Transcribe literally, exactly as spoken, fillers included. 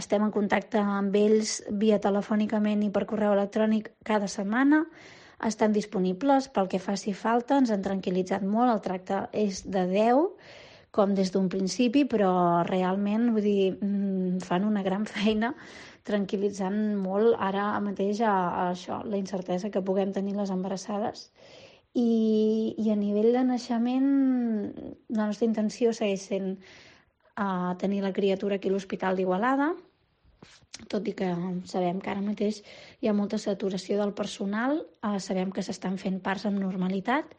Estem en contacte amb ells via telefònicament i per correu electrònic cada setmana. Estan disponibles pel que faci falta, ens han tranquil·litzat molt, el tracte és de deu, com des d'un principi, però realment, vull dir, fan una gran feina tranquil·litzant molt ara mateix a, a això, la incertesa que puguem tenir les embarassades. I, i a nivell de naixement, la nostra intenció segueix sent uh, tenir la criatura aquí a l'Hospital d'Igualada, tot i que sabem que ara mateix hi ha molta saturació del personal, uh, sabem que s'estan fent parts amb normalitat